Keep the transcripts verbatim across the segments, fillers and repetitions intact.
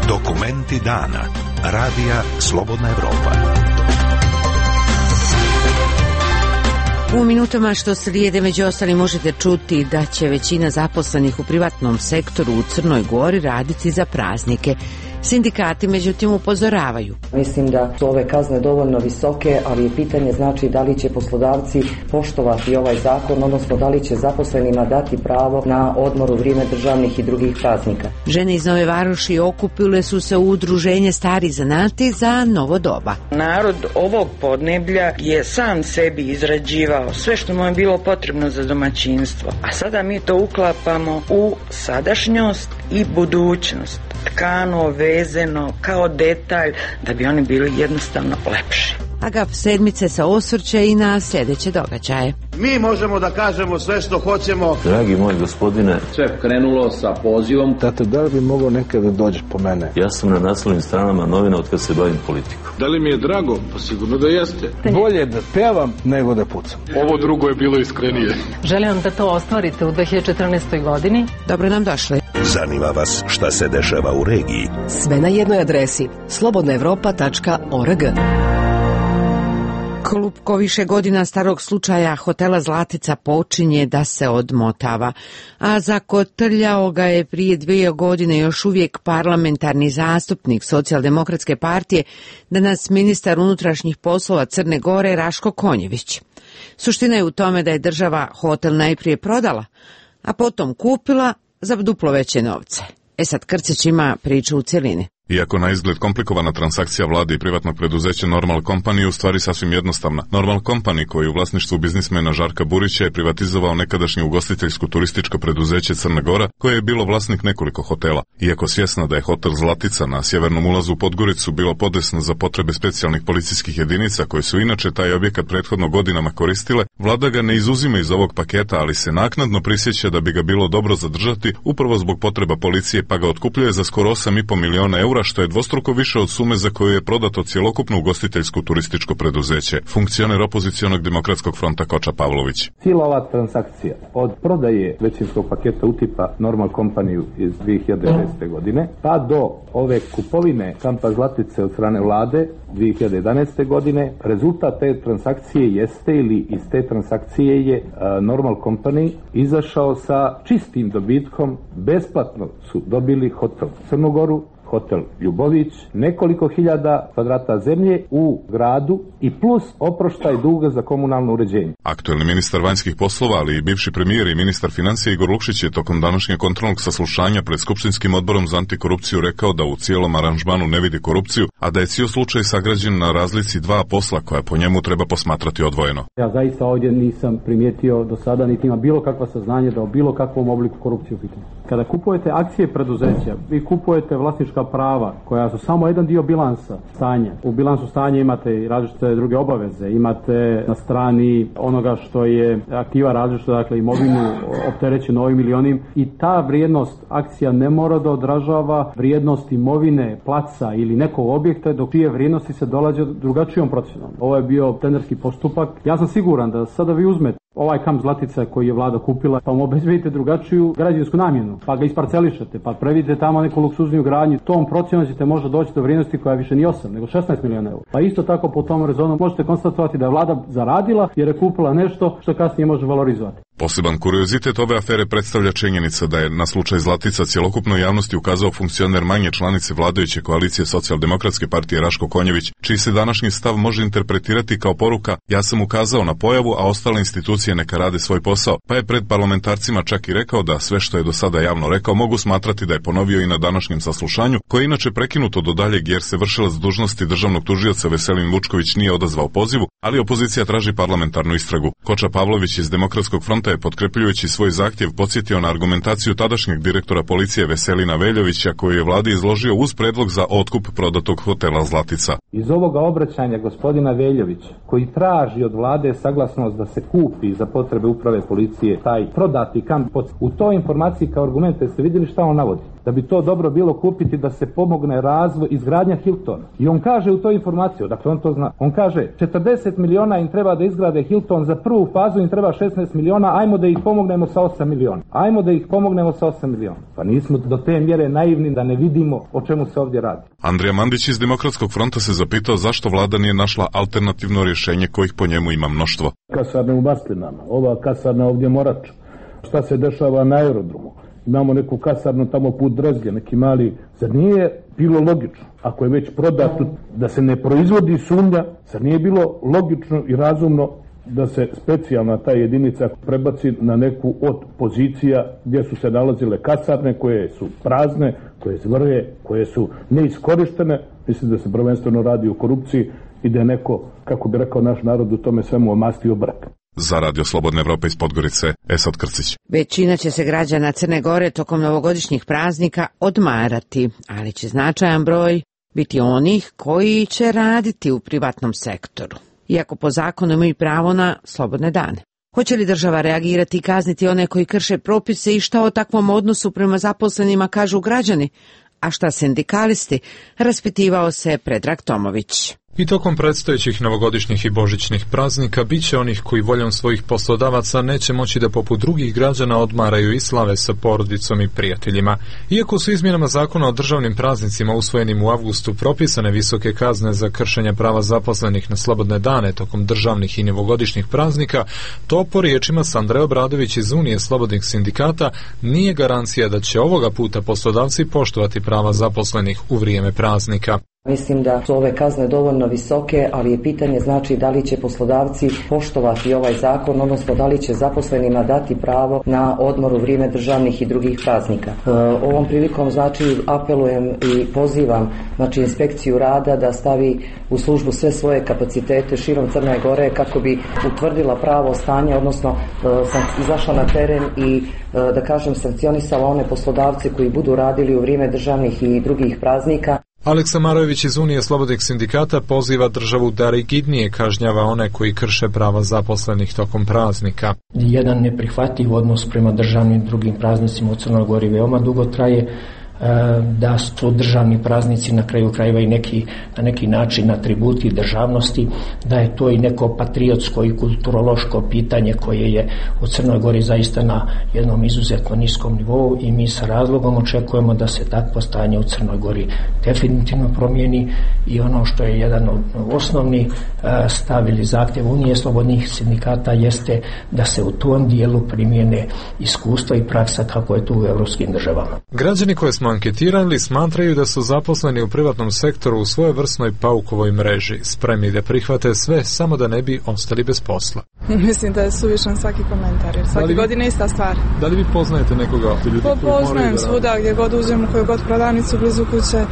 Dokumenti dana. Radija Slobodna Evropa. U minutama što slijede među ostalim možete čuti da će većina zaposlenih u privatnom sektoru u Crnoj Gori raditi za praznike. Sindikati međutim upozoravaju. Mislim da su ove kazne dovoljno visoke, ali je pitanje znači da li će poslodavci poštovati ovaj zakon, odnosno da li će zaposlenima dati pravo na odmor u vrijeme državnih i drugih praznika. Žene iz Nove Varoši okupile su se u udruženje Stari zanati za novo doba. Narod ovog podneblja je sam sebi izrađivao sve što mu je bilo potrebno za domaćinstvo, a sada mi to uklapamo u sadašnjost i budućnost. Tkano, vezeno, kao detalj, da bi oni bili jednostavno lepši. Agaf sedmice se osvrće i na sljedeće događaje. Mi možemo da kažemo sve što hoćemo. Dragi moj gospodine, sve krenulo sa pozivom. Tata, da li bi mogao nekada da dođeš po mene? Ja sam na naslovnim stranama novina od kad se bavim politikom. Da li mi je drago? Pa sigurno da jeste. Bolje da pevam nego da pucam. Ovo drugo je bilo iskrenije. Želim vam da to ostvarite u dve hiljade četrnaestoj. godini. Dobro nam došli. Zanima vas šta se dešava u regiji? Sve na jednoj adresi slobodna evropa tačka org. Klupko više godina starog slučaja hotela Zlatica počinje da se odmotava, a zakotrljao ga je prije dvije godine još uvijek parlamentarni zastupnik Socijaldemokratske partije, danas ministar unutrašnjih poslova Crne Gore Raško Konjević. Suština je u tome da je država hotel najprije prodala, a potom kupila za duplo veće novce. E sad Krcić ima priču u cjelini. Iako na izgled komplikovana transakcija vlade i privatnog preduzeća Normal Company je u stvari sasvim jednostavna. Normal Company, koji u vlasništvu biznismena Žarka Burića je privatizovao nekadašnje ugostiteljsko turističko preduzeće Crna Gora, koje je bilo vlasnik nekoliko hotela. Iako svjesna da je hotel Zlatica na sjevernom ulazu u Podgoricu bilo podesno za potrebe specijalnih policijskih jedinica koje su inače taj objekat prethodno godinama koristile, vlada ga ne izuzima iz ovog paketa, ali se naknadno prisjeća da bi ga bilo dobro zadržati upravo zbog potreba policije, pa ga otkupljuje za skoro osam i po miliona eura, što je dvostruko više od sume za koju je prodato cjelokupno ugostiteljsko turističko preduzeće. Funkcioner opozicionog demokratskog fronta Koča Pavlović. Cijela ova transakcija od prodaje većinskog paketa utipa Normal Company iz dvije hiljade šeste. godine pa do ove kupovine kampa Zlatice od strane vlade dvije hiljade jedanaeste. godine, rezultat te transakcije jeste ili iz te transakcije je uh, Normal Company izašao sa čistim dobitkom. Besplatno su dobili hotel Crnogoru, hotel Ljubović, nekoliko hiljada kvadrata zemlje u gradu i plus oproštaj duga za komunalno uređenje. Aktuelni ministar vanjskih poslova, ali i bivši premijer i ministar financija Igor Lukšić je tokom današnjeg kontrolnog saslušanja pred Skupštinskim odborom za antikorupciju rekao da u cijelom aranžmanu ne vidi korupciju, a da je cijel slučaj sagrađen na razlici dva posla koja po njemu treba posmatrati odvojeno. Ja zaista ovdje nisam primijetio do sada niti ima bilo kakva saznanje da o bilo kakvom obliku korupcije u pitanju. Kada kupujete akcije preduzeća, vi kupujete vlasnička prava koja su samo jedan dio bilansa stanja. U bilansu stanja imate i različite druge obaveze, imate na strani onoga što je aktiva različita, dakle imovinu opterećenu ovim ili onim, i ta vrijednost akcija ne mora da odražava vrijednost imovine, placa ili nekog objekta, dok čije vrijednosti se dolaze drugačijom procenom. Ovo je bio tenderski postupak. Ja sam siguran da sada vi uzmete ovaj kamp Zlatica koji je vlada kupila, pa mu obezbedite drugačiju građevinsku namjenu, pa ga isparcelišete, pa previdite tamo neku luksuzniju gradnju, tom procenom ćete možda doći do vrijednosti koja više nije osam, nego šesnaest miliona eura. Pa isto tako po tom rezonu možete konstatovati da je vlada zaradila jer je kupila nešto što kasnije može valorizovati. Poseban kuriozitet ove afere predstavlja činjenica da je na slučaj Zlatica cjelokupnoj javnosti ukazao funkcioner manje članice vladajuće koalicije Socijaldemokratske partije Raško Konjević, čiji se današnji stav može interpretirati kao poruka: ja sam ukazao na pojavu, a ostale institucije neka rade svoj posao, pa je pred parlamentarcima čak i rekao da sve što je do sada javno rekao mogu smatrati da je ponovio i na današnjem saslušanju, koje je inače prekinuto do daljeg jer se vršilac dužnosti državnog tužioca Veselin Vučković nije odazvao pozivu, ali opozicija traži parlamentarnu istragu. Koča Pavlović iz Demokratskog fronta je potkrepljujući svoj zahtjev podsjetio na argumentaciju tadašnjeg direktora policije Veselina Veljovića, koji je vladi izložio uz predlog za otkup prodatog hotela Zlatica. Iz ovoga obraćanja gospodina Veljovića, koji traži od vlade saglasnost da se kupi za potrebe uprave policije taj prodati kamp, u toj informaciji kao argumente ste vidjeli šta on navodi? da bi to dobro bilo kupiti da se pomogne razvoj izgradnja Hiltona. I on kaže u toj informaciji, dakle on to zna, on kaže četrdeset miliona im treba da izgrade Hilton, za prvu fazu im treba šesnaest miliona, ajmo da ih pomognemo sa osam miliona. Ajmo da ih pomognemo sa osam miliona. Pa nismo do te mjere naivni da ne vidimo o čemu se ovdje radi. Andrija Mandić iz Demokratskog fronta se zapitao zašto vlada nije našla alternativno rješenje kojih po njemu ima mnoštvo. Kasarne u Maslinama, ova kasarna ovdje Morač. Šta se dešava na aerodromu? Imamo neku kasarnu tamo put Drezlje, neki mali. Zar nije bilo logično, ako je već prodato, da se ne proizvodi sumnja, zar nije bilo logično i razumno da se specijalna ta jedinica prebaci na neku od pozicija gdje su se nalazile kasarne koje su prazne, koje zvrje, koje su neiskorištene. Mislim da se prvenstveno radi o korupciji i da je neko, kako bi rekao naš narod, u tome svemu omastio brak. Za Radio Slobodne Evrope iz Podgorice, Esad Krcić. Većina će se građana Crne Gore tokom novogodišnjih praznika odmarati, ali će značajan broj biti onih koji će raditi u privatnom sektoru, iako po zakonu imaju pravo na slobodne dane. Hoće li država reagirati i kazniti one koji krše propise i šta o takvom odnosu prema zaposlenima kažu građani? A šta sindikalisti? Raspitivao se Predrag Tomović. I tokom predstojećih novogodišnjih i božićnih praznika bit će onih koji voljom svojih poslodavaca neće moći da poput drugih građana odmaraju i slave sa porodicom i prijateljima. Iako su izmjenama zakona o državnim praznicima usvojenim u avgustu propisane visoke kazne za kršenje prava zaposlenih na slobodne dane tokom državnih i novogodišnjih praznika, to po riječima Sandre Obradović iz Unije slobodnih sindikata nije garancija da će ovoga puta poslodavci poštovati prava zaposlenih u vrijeme praznika. Mislim da su ove kazne dovoljno visoke, ali je pitanje znači da li će poslodavci poštovati ovaj zakon, odnosno da li će zaposlenima dati pravo na odmor u vrijeme državnih i drugih praznika. E, ovom prilikom znači apelujem i pozivam znači inspekciju rada da stavi u službu sve svoje kapacitete širom Crne Gore kako bi utvrdila pravo stanje, odnosno e, sam izašla na teren i e, da kažem sankcionisala one poslodavce koji budu radili u vrijeme državnih i drugih praznika. Aleksa Marojević iz Unije slobodnih sindikata poziva državu da rigidnije kažnjava one koji krše prava zaposlenih tokom praznika. Jedan neprihvatljiv odnos prema državnim i drugim praznicima u Crnoj Gori veoma dugo traje, da su državni praznici na kraju krajeva i neki, na neki način atributi državnosti, da je to i neko patriotsko i kulturološko pitanje koje je u Crnoj Gori zaista na jednom izuzetno niskom nivou i mi sa razlogom očekujemo da se takvo stanje u Crnoj Gori definitivno promijeni i ono što je jedan od osnovnih stav ili zahtjev Unije slobodnih sindikata jeste da se u tom dijelu primijene iskustva i praksa kako je tu u evropskim državama. Građani koje smo anketirali smatraju da su zaposleni u privatnom sektoru u svojevrsnoj paukovoj mreži, spremni da prihvate sve samo da ne bi ostali bez posla. Mislim da je suvišan svaki komentar, jer svaki godine ista stvar. Da li vi poznajete nekoga? Po, poznajem svuda, gdje god uđem, u koju god prodavnicu blizu kuće,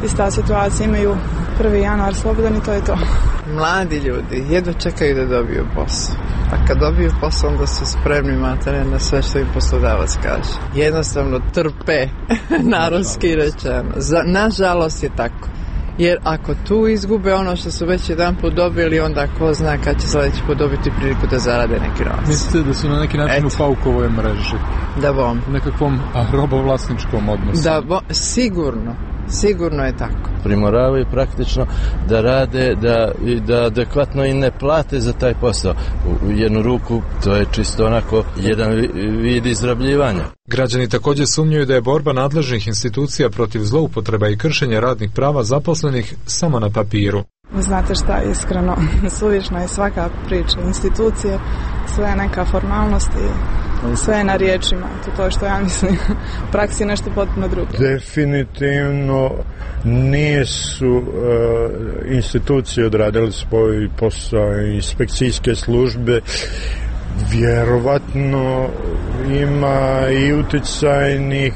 ista situacija, imaju prvi januar slobodan i to je to. Mladi ljudi jedva čekaju da dobiju posao. A kad dobiju posao, onda su spremni materne na sve što im poslodavac kaže. Jednostavno trpe, narodski rečeno. Za, nažalost je tako. Jer ako tu izgube ono što su već jedan put dobili, onda ko zna kad će sljedeći put dobiti priliku da zarade neki novac. Mislite da su na neki način Eto. u paukovoj mreži? Da bom. U nekakvom robovlasničkom odnosu? Da bom, sigurno. Sigurno je tako. Primoravaju praktično da rade, da, da adekvatno i ne plate za taj posao. U, u jednu ruku to je čisto onako jedan vid izrabljivanja. Građani također sumnjaju da je borba nadležnih institucija protiv zloupotreba i kršenja radnih prava zaposlenih samo na papiru. Znate šta, iskreno, suvišna je svaka priča. Institucije, sve je neka formalnost i sve je na riječima. To, to je što ja mislim. U praksi je nešto potpuno drugo. Definitivno nisu uh, institucije odradile svoj posao, inspekcijske službe. Vjerovatno ima i utjecajnih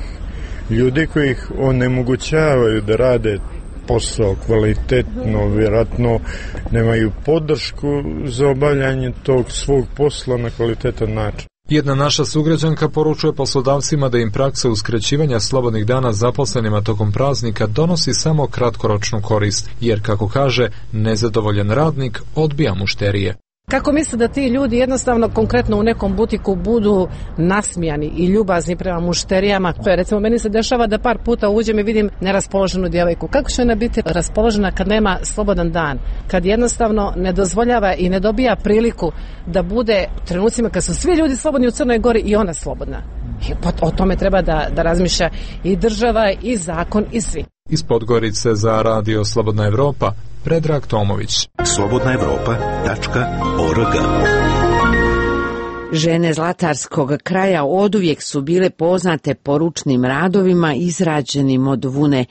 ljudi koji ih onemogućavaju da rade posao kvalitetno, vjerojatno nemaju podršku za obavljanje tog svog posla na kvalitetan način. Jedna naša sugrađanka poručuje poslodavcima da im praksa uskraćivanja slobodnih dana zaposlenima tokom praznika donosi samo kratkoročnu korist, jer, kako kaže, nezadovoljan radnik odbija mušterije. Kako misle da ti ljudi jednostavno konkretno u nekom butiku budu nasmijani i ljubazni prema mušterijama? Recimo, meni se dešava da par puta uđem i vidim neraspoloženu djevojku. Kako će ona biti raspoložena kad nema slobodan dan? Kad jednostavno ne dozvoljava i ne dobija priliku da bude u trenucima kad su svi ljudi slobodni u Crnoj Gori i ona slobodna. I o tome treba da, da razmišlja i država i zakon i svi. Iz Podgorice za Radio Slobodna Evropa, Predrag Tomović. slobodna evropa tačka org. Žene zlatarskog kraja oduvijek su bile poznate po ručnim radovima izrađenim od vune.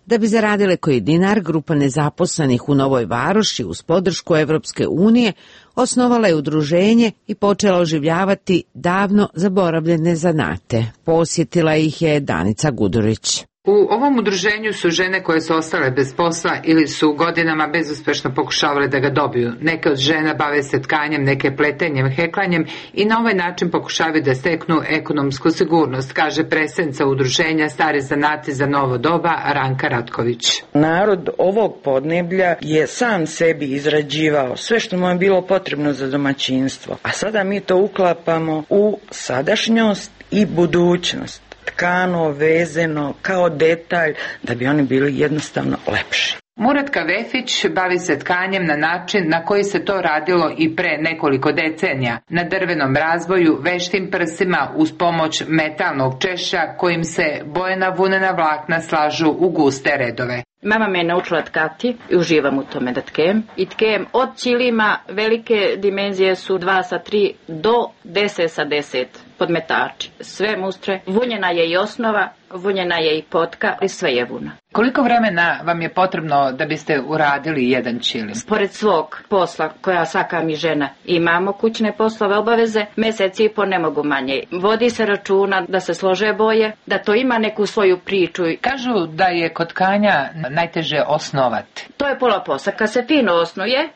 Da bi zaradile koji dinar, grupa nezaposlenih u Novoj Varoši uz podršku Evropske unije osnovala je udruženje i počela oživljavati davno zaboravljene zanate. Posjetila ih je Danica Gudurić. U ovom udruženju su žene koje su ostale bez posla ili su godinama bezuspešno pokušavale da ga dobiju. Neke od žena bave se tkanjem, neke pletenjem, heklanjem i na ovaj način pokušavaju da steknu ekonomsku sigurnost, kaže predsednica udruženja Stare zanati za novo doba Ranka Ratković. Narod ovog podneblja je sam sebi izrađivao sve što mu je bilo potrebno za domaćinstvo, a sada mi to uklapamo u sadašnjost i budućnost. Tkano, vezeno, kao detalj, da bi oni bili jednostavno lepši. Muratka Vefić bavi se tkanjem na način na koji se to radilo i pre nekoliko decenija, na drvenom razboju, veštim prsima uz pomoć metalnog češa kojim se bojena vunena vlakna slažu u guste redove. Mama me je naučila tkati i uživam u tome da tkem. I tkem od ćilima, velike dimenzije su dva sa tri do deset sa deset podmetači. Sve mustre. Vunjena je i osnova, vunjena je i potka i sve je vuna. Koliko vremena vam je potrebno da biste uradili jedan ćilim? Pored svog posla, koja svaka mi žena, imamo kućne poslove, obaveze, mesec i po ne mogu manje. Vodi se računa da se slože boje, da to ima neku svoju priču. Kažu da je kod tkanja najteže osnovati. To je pola posla. Kad se fino osnuje,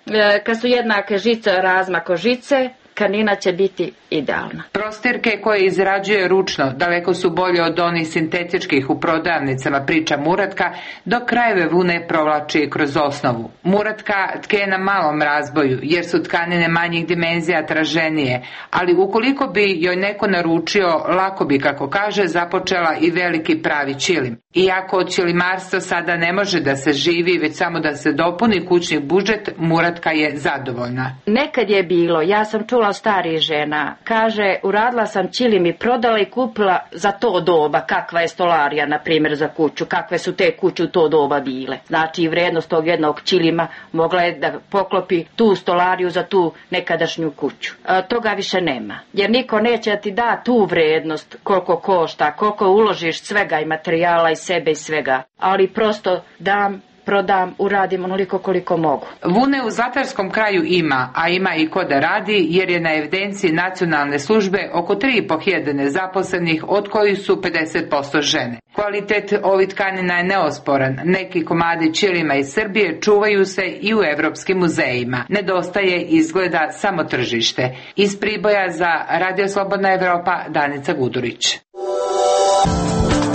kad su jednake žice, razmak od žice, tkanina će biti idealna. Prostirke koje izrađuje ručno daleko su bolje od onih sintetičkih u prodavnicama, priča Muratka, dok krajeve vune provlači kroz osnovu. Muratka tke na malom razboju, jer su tkanine manjih dimenzija traženije, ali ukoliko bi joj neko naručio, lako bi, kako kaže, započela i veliki pravi ćilim. Iako od ćilimarstva sada ne može da se živi, već samo da se dopuni kućni budžet, Muratka je zadovoljna. Nekad je bilo, ja sam čula starih žena, kaže, uradila sam ćilim i prodala i kupila za to doba, kakva je stolarija, na primjer, za kuću, kakve su te kuće u to doba bile. Znači, i vrednost tog jednog ćilima mogla je da poklopi tu stolariju za tu nekadašnju kuću. E, toga više nema, jer niko neće da ti da tu vrednost koliko košta, koliko uložiš svega i materijala i sebe i svega, ali prosto dam, prodam, uradim onoliko koliko mogu. Vune u zlatarskom kraju ima, a ima i ko da radi, jer je na evidenciji nacionalne službe oko tri i po hiljade nezaposlenih, od kojih su pedeset posto žene. Kvalitet ovih tkanina je neosporan. Neki komadi ćilima iz Srbije čuvaju se i u evropskim muzejima. Nedostaje izgleda samo tržište. Iz Priboja za Radio Slobodna Evropa, Danica Gudurić.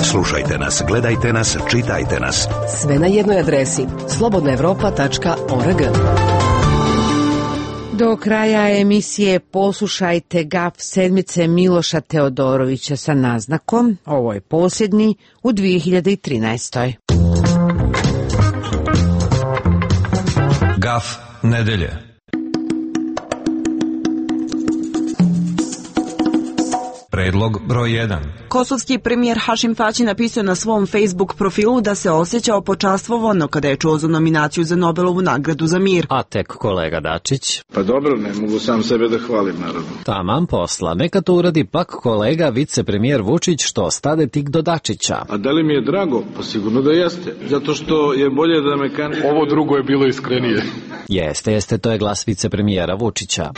Slušajte nas, gledajte nas, čitajte nas. Sve na jednoj adresi slobodna evropa tačka org. Do kraja emisije poslušajte gaf sedmice Miloša Teodorovića sa naznakom. Ovo je posljednji u dvije hiljade trinaestoj. Gaf nedelje. Predlog broj jedan. Kosovski premijer Hašim Tači napisao na svom Facebook profilu da se osjećao počastvovano kada je čuo za nominaciju za Nobelovu nagradu za mir. A tek kolega Dačić? Pa dobro, ne mogu sam sebe da hvalim, naravno. Taman posla, neka to uradi pak kolega vicepremijer Vučić što stade tik do Dačića. A da li mi je drago? Pa sigurno da jeste, zato što je bolje da me kandiduje. Ovo drugo je bilo iskrenije. Jeste, jeste, to je glas vicepremijera Vučića.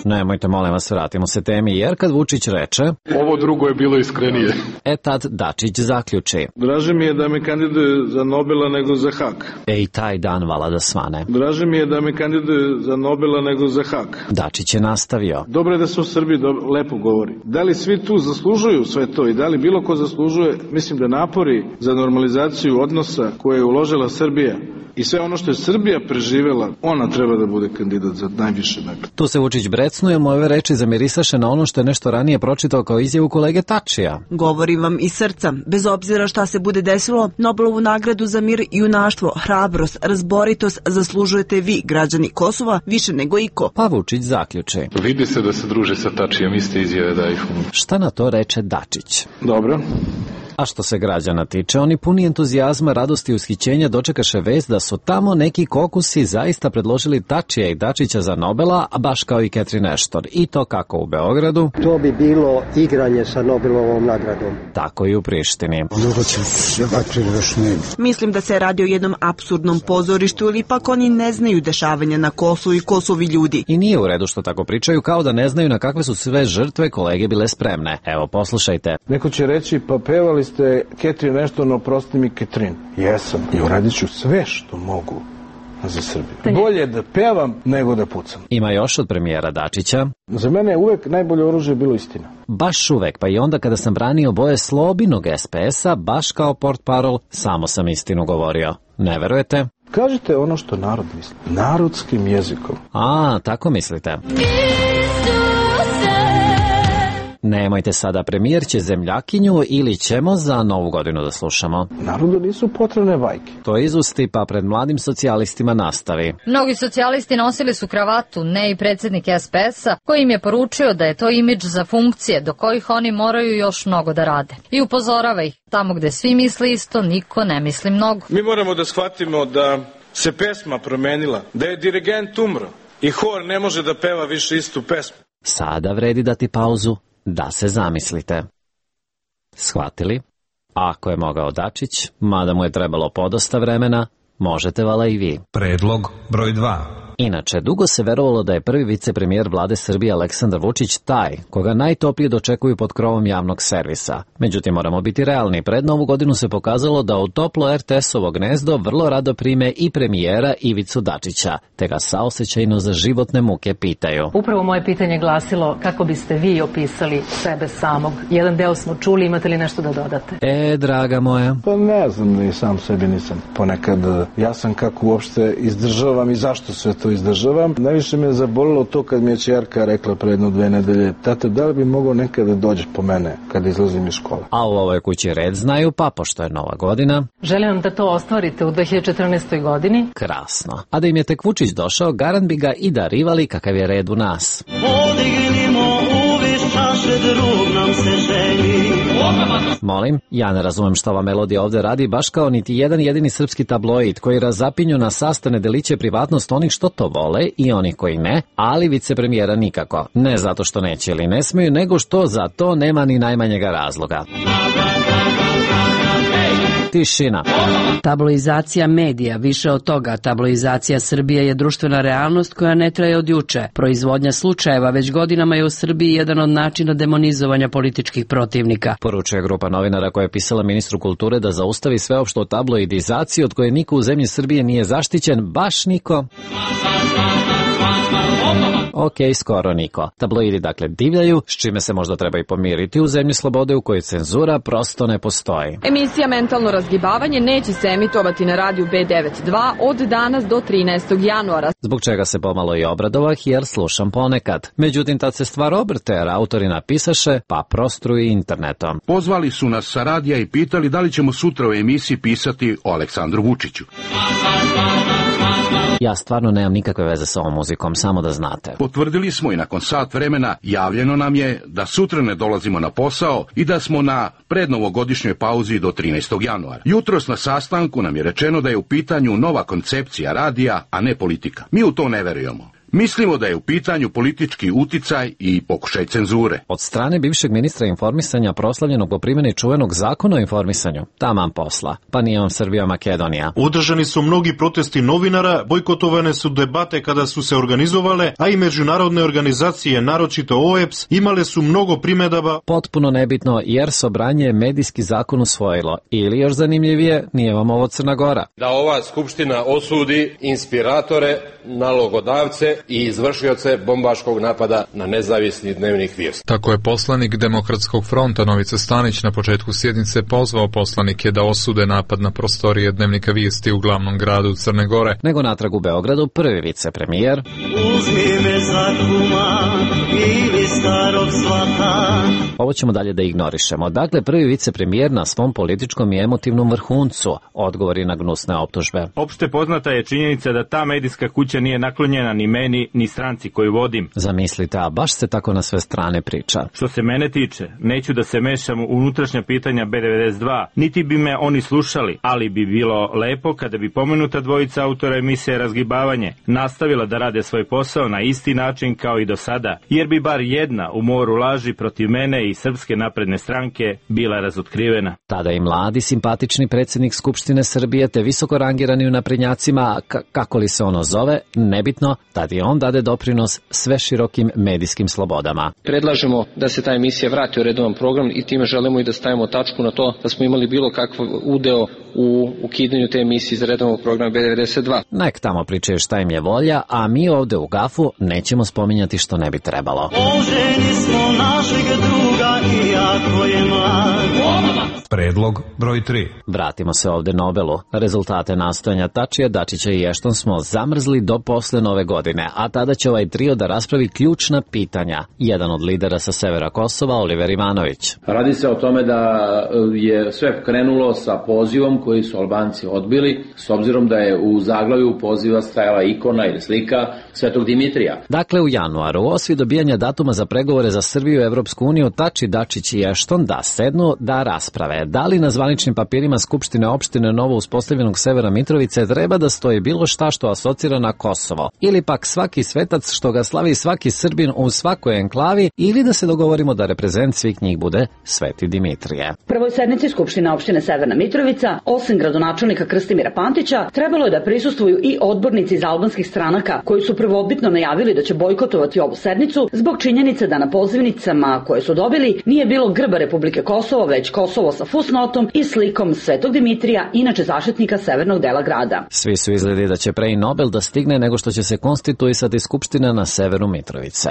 Nemojte, molim vas, vratimo se temi, jer kad Vučić reče... Ovo drugo je bilo iskrenije. E tad Dačić zaključi. Draže mi je da me kandiduje za Nobela nego za Hak. E i taj dan vala da svane. Draže mi je da me kandiduje za Nobela nego za Hak. Dačić je nastavio. Dobro je da se u Srbiji dobro, lepo govori. Da li svi tu zaslužuju sve to i da li bilo ko zaslužuje? Mislim da napori za normalizaciju odnosa koje je uložila Srbija I sve ono što je Srbija preživela, ona treba da bude kandidat za najviše nagrade. Tu se Vučić brecnuje, moje reči zamirisaše na ono što je nešto ranije pročitao kao izjavu kolege Tačija. Govorim vam iz srca. Bez obzira šta se bude desilo, Nobelovu nagradu za mir, junaštvo, hrabrost, razboritost zaslužujete vi, građani Kosova, više nego iko. Pa Vučić zaključi. Vidi se da se druže sa Tačijem, iste izjave da ih um. Šta na to reče Dačić? Dobro. A što se građana tiče, oni puni entuzijazma, radosti i ushićenja dočekaše vest da su tamo neki kokusi zaista predložili Tačija i Dačića za Nobela, a baš kao i Catherine Ashton. I to kako u Beogradu. To bi bilo igranje sa Nobelovom nagradom. Tako i u Prištini. Mislim da se radi o jednom apsurdnom pozorištu ili ipak oni ne znaju dešavanja na Kosovu i Kosovi ljudi. I nije u redu što tako pričaju, kao da ne znaju na kakve su sve žrtve kolege bile spremne. Evo, poslušajte. Neko će reći, pa pevali ste Catherine Ashton, oprosti mi Catherine. Jesam i uradit ću sve što mogu za Srbiju. Bolje da pevam nego da pucam. Ima još od premijera Dačića. Za mene je uvek najbolje oružje bilo istina. Baš uvek, pa i onda kada sam branio boje Slobinog es pe es-a, baš kao portparol, samo sam istinu govorio. Ne verujete? Kažite ono što narod misli. Narodskim jezikom. A, tako mislite. Nemojte sada, premijer će zemljakinju ili ćemo za Novu godinu da slušamo. Narodu nisu potrebne bajke. To izusti pa pred mladim socijalistima nastavi. Mnogi socijalisti nosili su kravatu, ne i predsjednik es pe es-a, koji im je poručio da je to imidž za funkcije do kojih oni moraju još mnogo da rade. I upozorava ih, tamo gde svi misli isto, niko ne misli mnogo. Mi moramo da shvatimo da se pesma promenila, da je dirigent umro i hor ne može da peva više istu pesmu. Sada vredi dati pauzu da se zamislite. Shvatili? Ako je mogao Dačić, mada mu je trebalo podosta vremena, možete vala i vi. Predlog broj dva. Inače, dugo se verovalo da je prvi vicepremijer vlade Srbije Aleksandar Vučić taj koga najtoplije dočekuju pod krovom javnog servisa. Međutim, moramo biti realni. Pred Novu godinu se pokazalo da u toplo er te es-ovo gnezdo vrlo rado prime i premijera Ivicu Dačića, te ga saosećajno za životne muke pitaju. Upravo moje pitanje glasilo kako biste vi opisali sebe samog. Jedan deo smo čuli, imate li nešto da dodate? E, draga moja. Pa ne znam, ni sam sebi nisam. Ponekad ja sam kako uopšte izdržavam i zašto sve to izdržavam. Najviše me je zabolilo to kad mi je ćerka rekla pre jedno dve nedelje, tate, da li bi mogao nekada da dođeš po mene kada izlazim iz škole? A u ovoj kući red znaju, pa pošto je Nova godina. Želim vam da to ostvarite u dve hiljade četrnaestoj. godini. Krasno. A da im je tek Vučić došao, garant bi ga i darivali kakav je red u nas. Podignimo uvis čaše, drug nam se želi. Molim, ja ne razumem što ova melodija ovde radi, baš kao niti jedan jedini srpski tabloid koji razapinju na sastane deliće privatnost onih što to vole i onih koji ne, ali vicepremijera nikako. Ne zato što neće ili ne smeju, nego što za to nema ni najmanjega razloga. Tišina. Tabloizacija medija, više od toga, tabloizacija Srbije je društvena realnost koja ne traje od juče. Proizvodnja slučajeva već godinama je u Srbiji jedan od načina demonizovanja političkih protivnika. Poručuje grupa novinara koja je pisala ministru kulture da zaustavi sveopštu tabloidizaciju od koje niko u zemlji Srbije nije zaštićen, baš niko. Ok, skoro niko. Tabloidi dakle divljaju, s čime se možda treba i pomiriti u zemlji slobode u kojoj cenzura prosto ne postoji. Emisija Mentalno razgibavanje neće se emitovati na radiju be devedeset dva od danas do trinaestog januara. Zbog čega se pomalo i obradovah jer slušam ponekad. Međutim, tad se stvar obrte jer autori napisaše pa prostruji internetom. Pozvali su nas sa radija i pitali da li ćemo sutra u emisiji pisati o Aleksandru Vučiću. Ja stvarno nemam nikakve veze sa ovom muzikom, samo da znate. Potvrdili smo i nakon sat vremena javljeno nam je da sutra ne dolazimo na posao i da smo na prednovogodišnjoj pauzi do trinaestog januara. Jutros na sastanku nam je rečeno da je u pitanju nova koncepcija radija, a ne politika. Mi u to ne verujemo. Mislimo da je u pitanju politički uticaj i pokušaj cenzure. Od strane bivšeg ministra informisanja proslavljenog po primjeni čuvenog zakona o informisanju, taman posla, pa nije on Srbija Makedonija. Održani su mnogi protesti novinara, bojkotovane su debate kada su se organizovale, a i međunarodne organizacije, naročito o e be es, imale su mnogo primedaba. Potpuno nebitno jer Sobranje je medijski zakon usvojilo. Ili još zanimljivije, nije vam ovo Crna Gora. Da ova skupština osudi inspiratore, nalogodavce i izvršioce bombaškog napada na nezavisni dnevnik Vijest. Tako je poslanik Demokratskog fronta Novica Stanić na početku sjednice pozvao poslanike da osude napad na prostorije dnevnika Vijesti u glavnom gradu Crne Gore. Nego natrag u Beogradu prvi vicepremijer Uzmi me za kuma ili starog svata. Ovo ćemo dalje da ignorišemo. Dakle, prvi vicepremijer na svom političkom i emotivnom vrhuncu odgovori na gnusne optužbe. Opšte poznata je činjenica da ta medijska kuća nije naklonjena ni meni, ni stranci koju vodim. Zamislite, a baš se tako na sve strane priča. Što se mene tiče, neću da se mešam u unutrašnja pitanja B devedeset dva, niti bi me oni slušali, ali bi bilo lepo kada bi pomenuta dvojica autora emisije Razgibavanje nastavila da rade svoj posao na isti način kao i do sada, jer bi bar jedna u moru laži protiv mene i Srpske napredne stranke bila razotkrivena. Tada i mladi, simpatični predsjednik Skupštine Srbije te visoko rangirani u naprednjacima, k- kako li se ono zove, nebitno, tada i on dade doprinos sve širokim medijskim slobodama. Predlažemo da se ta emisija vrati u redovan program i time želimo i da stavimo tačku na to da smo imali bilo kakav udeo u ukidanju te emisije iz redovnog programa B devedeset dva. Nek tamo pričaju šta im je volja, a mi ovde u Gafu nećemo spominjati što ne bi trebalo. Oženi smo našeg druga i jako je mlad. Predlog broj tri. Vratimo se ovde Nobelu. Rezultate nastojanja Tačija, Dačića i Ešton smo zamrzli do posle nove godine, a tada će ovaj trio da raspravi ključna pitanja. Jedan od lidera sa severa Kosova, Oliver Ivanović. Radi se o tome da je sve krenulo sa pozivom koji su Albanci odbili, s obzirom da je u zaglavlju poziva stajala ikona ili slika Svetog Dimitrija. Dakle, u januaru, osvi dobijanja datuma za pregovore za Srbiju i Evropsku uniju, Tači, Dačić i Ešton da sednu da rasprave. Da li na zvaničnim papirima Skupštine opštine novo uspostavljenog Severa Mitrovice treba da stoji bilo šta što asocira na Kosovo, ili pak svaki svetac što ga slavi svaki Srbin u svakoj enklavi, ili da se dogovorimo da reprezent svih njih bude Sveti Dimitrije. Prvoj sednici Skupštine opštine Severna Mitrovica, osim gradonačelnika Krstimira Pantića, trebalo je da prisustvuju i odbornici iz albanskih stranaka, koji su prvobitno najavili da će bojkotovati ovu sednicu zbog činjenice da na pozivnicama koje su dobili nije bilo grba Republike Kosovo, već Kosovo sa fusnotom i slikom Svetog Dimitrija, inače zaštitnika severnog dela grada. Svi su izgledi da će pre i Nobel da stigne nego što će se konstituisati Skupština na severu Mitrovice.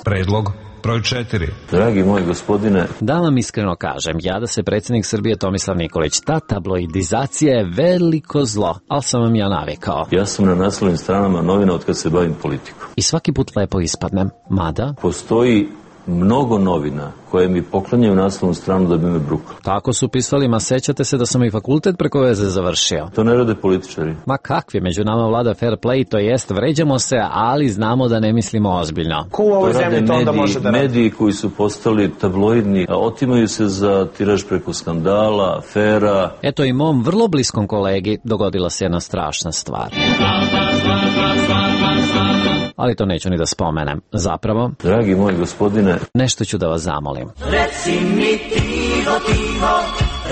Predlog broj četiri. Dragi moj gospodine, da vam iskreno kažem, ja da se predsjednik Srbije Tomislav Nikolić, ta tabloidizacija je veliko zlo, ali sam vam ja navikao. Ja sam na naslovnim stranama novina od kad se bavim politikom. I svaki put lepo ispadnem, mada postoji mnogo novina koje mi poklanjaju naslovnu stranu da bi me brukali. Tako su pisali, ma sećate se da sam i fakultet preko veze završio. To ne rade političari. Ma kakvi, među nama vlada fair play, to jest vređamo se, ali znamo da ne mislimo ozbiljno. Ko u ovoj zemlji to onda može da radi? Mediji koji su postali tabloidni, a otimaju se za tiraž preko skandala, afera. Eto i mom vrlo bliskom kolegi dogodila se jedna strašna stvar. Ali to neću ni da spomenem. Zapravo, dragi moj gospodine, nešto ću da vas zamolim. Reci mi tiho, tiho,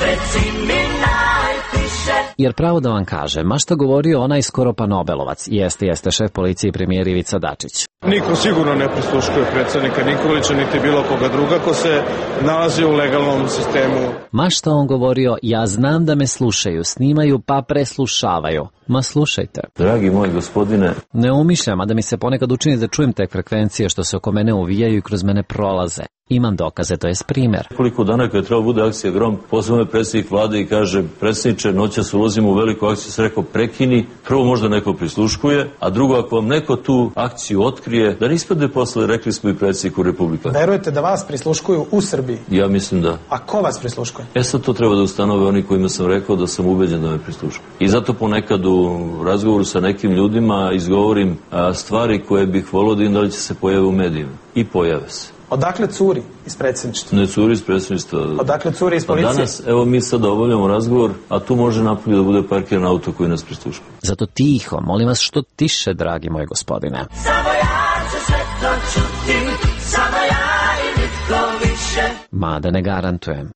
reci mi najtiše. Jer pravo da vam kaže, ma šta govorio onaj skoro pa Nobelovac, jeste, jeste šef policije i premijer Ivica Dačić. Niko sigurno ne prisluškuje predsjednika Nikolića, niti bilo koga druga ko se nalazi u legalnom sistemu. Ma šta on govorio, ja znam da me slušaju, snimaju pa preslušavaju. Ma slušajte. Dragi moj gospodine, ne umišljam, a da mi se ponekad učini da čujem te frekvencije što se oko mene uvijaju i kroz mene prolaze. Imam dokaze, to je primjer. Koliko dana kada treba bude akcija Grom, pozvao me predsjednik vlade i kaže, predsjedniče, noćas ulazimo u veliku akciju, se rekao, prekini, prvo možda neko prisluškuje, a drugo, ako vam neko tu akciju otkrije, da ne ispadne posle, rekli smo i predsjedniku Republike. Verujete da vas prisluškuju u Srbiji? Ja mislim da. A ko vas prisluškuje? E sad to treba da ustanove oni kojima sam rekao da sam ubeđen da me prisluškuju. I zato ponekad u razgovoru sa nekim ljudima izgovorim a, stvari koje bih volio da im da li će se pojave u medijima. I pojave se. Odakle curi iz predsjedništva? Ne curi iz predsjedništva. Odakle curi iz policije? Pa danas, evo mi sada obavljamo razgovor, a tu može napolje da bude parkiran auto koji nas prisluškuje. Zato tiho, molim vas što tiše, dragi moj gospodine. Samo ja ću sve to čuti, samo ja i nitko više. Mada ne garantujem.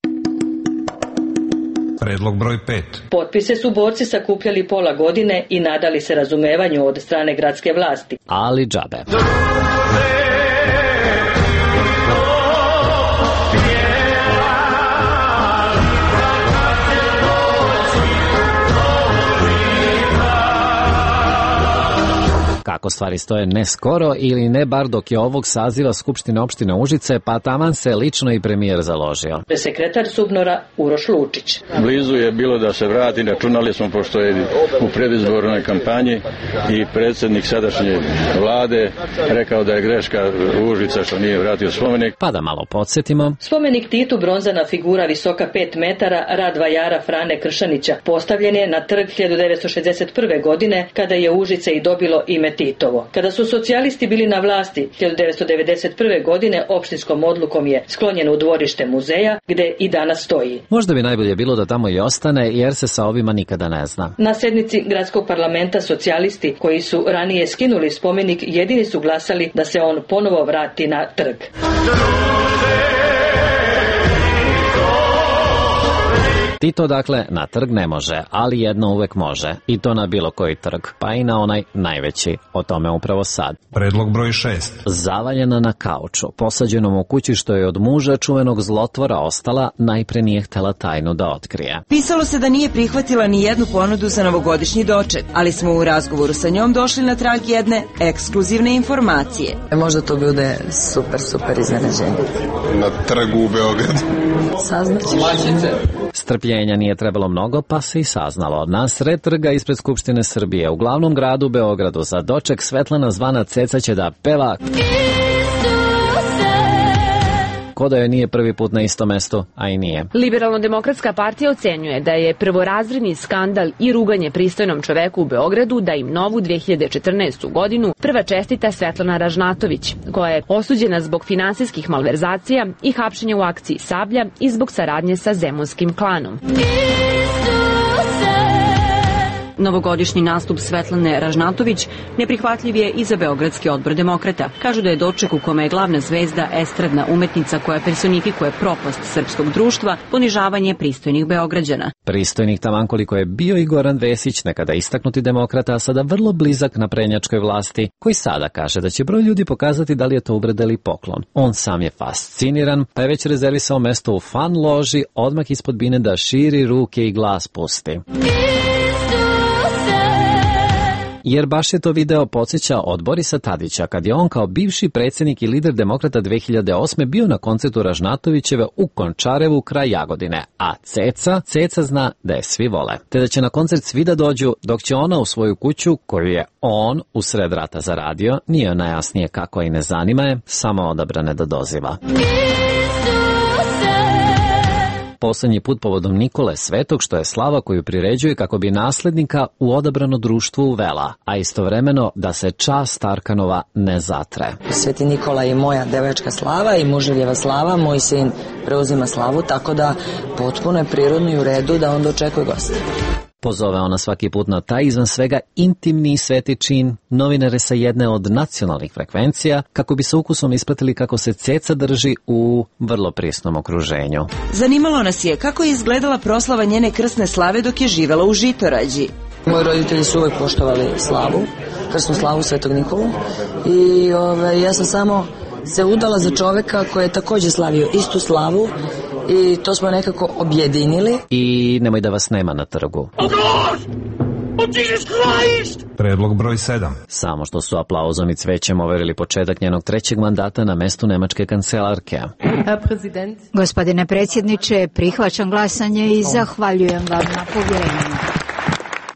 Predlog broj pet. Potpise su borci sakupljali pola godine i nadali se razumevanju od strane gradske vlasti. Ali džabe. Tako stvari stoje ne skoro ili ne bar dok je ovog saziva Skupštine opštine Užice, pa taman se lično i premijer založio. Sekretar Subnora Uroš Lučić. Blizu je bilo da se vrati, računali smo pošto je u predizbornoj kampanji i predsjednik sadašnje vlade rekao da je greška Užica što nije vratio spomenik. Pa da malo podsjetimo. Spomenik Titu, bronzana figura visoka pet metara, rad vajara Frane Kršanića, postavljen je na trg hiljadu devetsto šezdeset prve. godine kada je Užice i dobilo ime Titovo. Kada su socijalisti bili na vlasti hiljadu devetsto devedeset prve. godine opštinskom odlukom je sklonjen u dvorište muzeja gde i danas stoji. Možda bi najbolje bilo da tamo i ostane jer se sa ovima nikada ne zna. Na sednici gradskog parlamenta socijalisti koji su ranije skinuli spomenik jedini su glasali da se on ponovo vrati na trg. Tito dakle na trg ne može, ali jedno uvek može, i to na bilo koji trg, pa i na onaj najveći, o tome upravo sad. Predlog broj šest. Zavaljena na kauču, posađenom u kući što je od muža čuvenog zlotvora ostala, najpre nije htela tajnu da otkrije. Pisalo se da nije prihvatila ni jednu ponudu za novogodišnji doček, ali smo u razgovoru sa njom došli na trag jedne ekskluzivne informacije. Možda to bude super, super iznenađenje. Na trgu u Beogradu. Saznaćeš. Strpljenja nije trebalo mnogo, pa se i saznalo. Na sred trga ispred Skupštine Srbije, u glavnom gradu Beogradu, za doček Svetlana zvana Ceca će da peva ko da joj nije prvi put na istom mestu, a i nije. Liberalno-demokratska partija ocenjuje da je prvorazredni skandal i ruganje pristojnom čoveku u Beogradu da im novu dve hiljade četrnaestu. godinu prva čestita Svetlana Ražnatović, koja je osuđena zbog finansijskih malverzacija i hapšenja u akciji Sablja i zbog saradnje sa zemunskim klanom. Novogodišnji nastup Svetlane Ražnatović neprihvatljiv je i za Beogradski odbor demokrata. Kažu da je doček u kome je glavna zvezda estradna umetnica koja personifikuje propast srpskog društva, ponižavanje pristojnih Beograđana. Pristojnih taman koliko je bio i Goran Vesić, nekada istaknuti demokrata, a sada vrlo blizak naprednjačkoj vlasti, koji sada kaže da će broj ljudi pokazati da li je to uvreda ili poklon. On sam je fasciniran, pa je već rezervisao mesto u fan loži, odmah ispod bine da širi ruke i glas pusti. Jer baš je to video podsjeća od Borisa Tadića, kad je on kao bivši predsjednik i lider demokrata dve hiljade osme. bio na koncertu Ražnatovićeve u Končarevu kraj Jagodine, a Ceca, Ceca zna da je svi vole, te da će na koncert svi da dođu, dok će ona u svoju kuću, koju je on u sred rata zaradio, nije najjasnije kako i ne zanima je, samo odabrane da doziva. Poslednji put povodom Nikole Svetog, što je slava koju priređuje kako bi naslednika u odabrano društvo uvela, a istovremeno da se čast Arkanova ne zatre. Sveti Nikola je moja devačka slava i muželjeva slava, moj sin preuzima slavu, tako da potpuno je prirodno i u redu da on dočekuje goste. Pozove ona svaki put na taj izvan svega intimni i sveti čin novinare sa jedne od nacionalnih frekvencija kako bi sa ukusom ispratili kako se Ceca drži u vrlo prisnom okruženju. Zanimalo nas je kako je izgledala proslava njene krsne slave dok je živela u Žitorađi. Moji roditelji su uvek poštovali slavu, krsnu slavu Svetog Nikolu i ove, ja sam samo se udala za čoveka koji je takođe slavio istu slavu i to smo nekako objedinili. I nemoj da vas nema na trgu. Oh God! Oh Jesus Christ! Predlog broj sedam. Samo što su aplauzom i cvećem overili početak njenog trećeg mandata na mestu nemačke kancelarke. Gospodine predsjedniče, prihvaćam glasanje i zahvaljujem vam na povjerenju.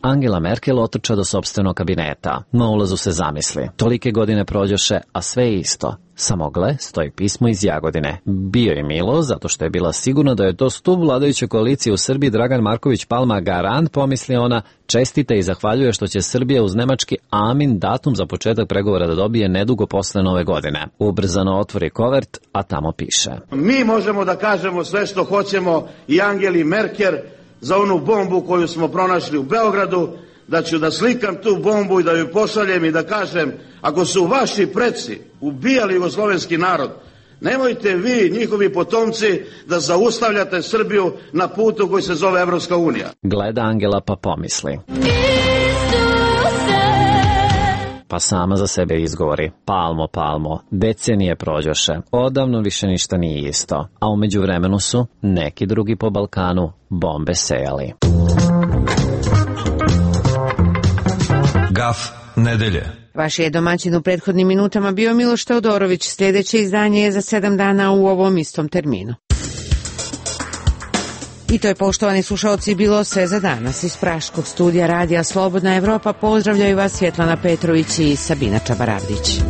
Angela Merkel otrča do sopstvenog kabineta. Na ulazu se zamisli. Tolike godine prođoše, a sve je isto. Samo gle, stoji pismo iz Jagodine. Bio je milo, zato što je bila sigurna da je to stup vladajuće koalicije u Srbiji Dragan Marković Palma garant, pomisli ona, čestita i zahvaljuje što će Srbija uz nemački amin datum za početak pregovora da dobije nedugo posle nove godine. Ubrzano otvori kovert, a tamo piše. Mi možemo da kažemo sve što hoćemo i Angeli Merkel za onu bombu koju smo pronašli u Beogradu, da ću da slikam tu bombu i da ju pošaljem i da kažem, ako su vaši preci ubijali jugoslovenski narod, nemojte vi, njihovi potomci, da zaustavljate Srbiju na putu koji se zove Evropska unija. Gleda Angela pa pomisli. Pa sama za sebe izgovori, palmo, palmo, decenije prođoše, odavno više ništa nije isto, a u međuvremenu su neki drugi po Balkanu bombe sejali. Gaf nedelje. Vaš je domaćin u prethodnim minutama bio Miloš Teodorović. Sljedeće izdanje je za sedam dana u ovom istom terminu. I to je, poštovani slušalci, bilo sve za danas. Iz Praškog studija Radija Slobodna Evropa pozdravljaju vas Svjetlana Petrović i Sabina Čabaravdić.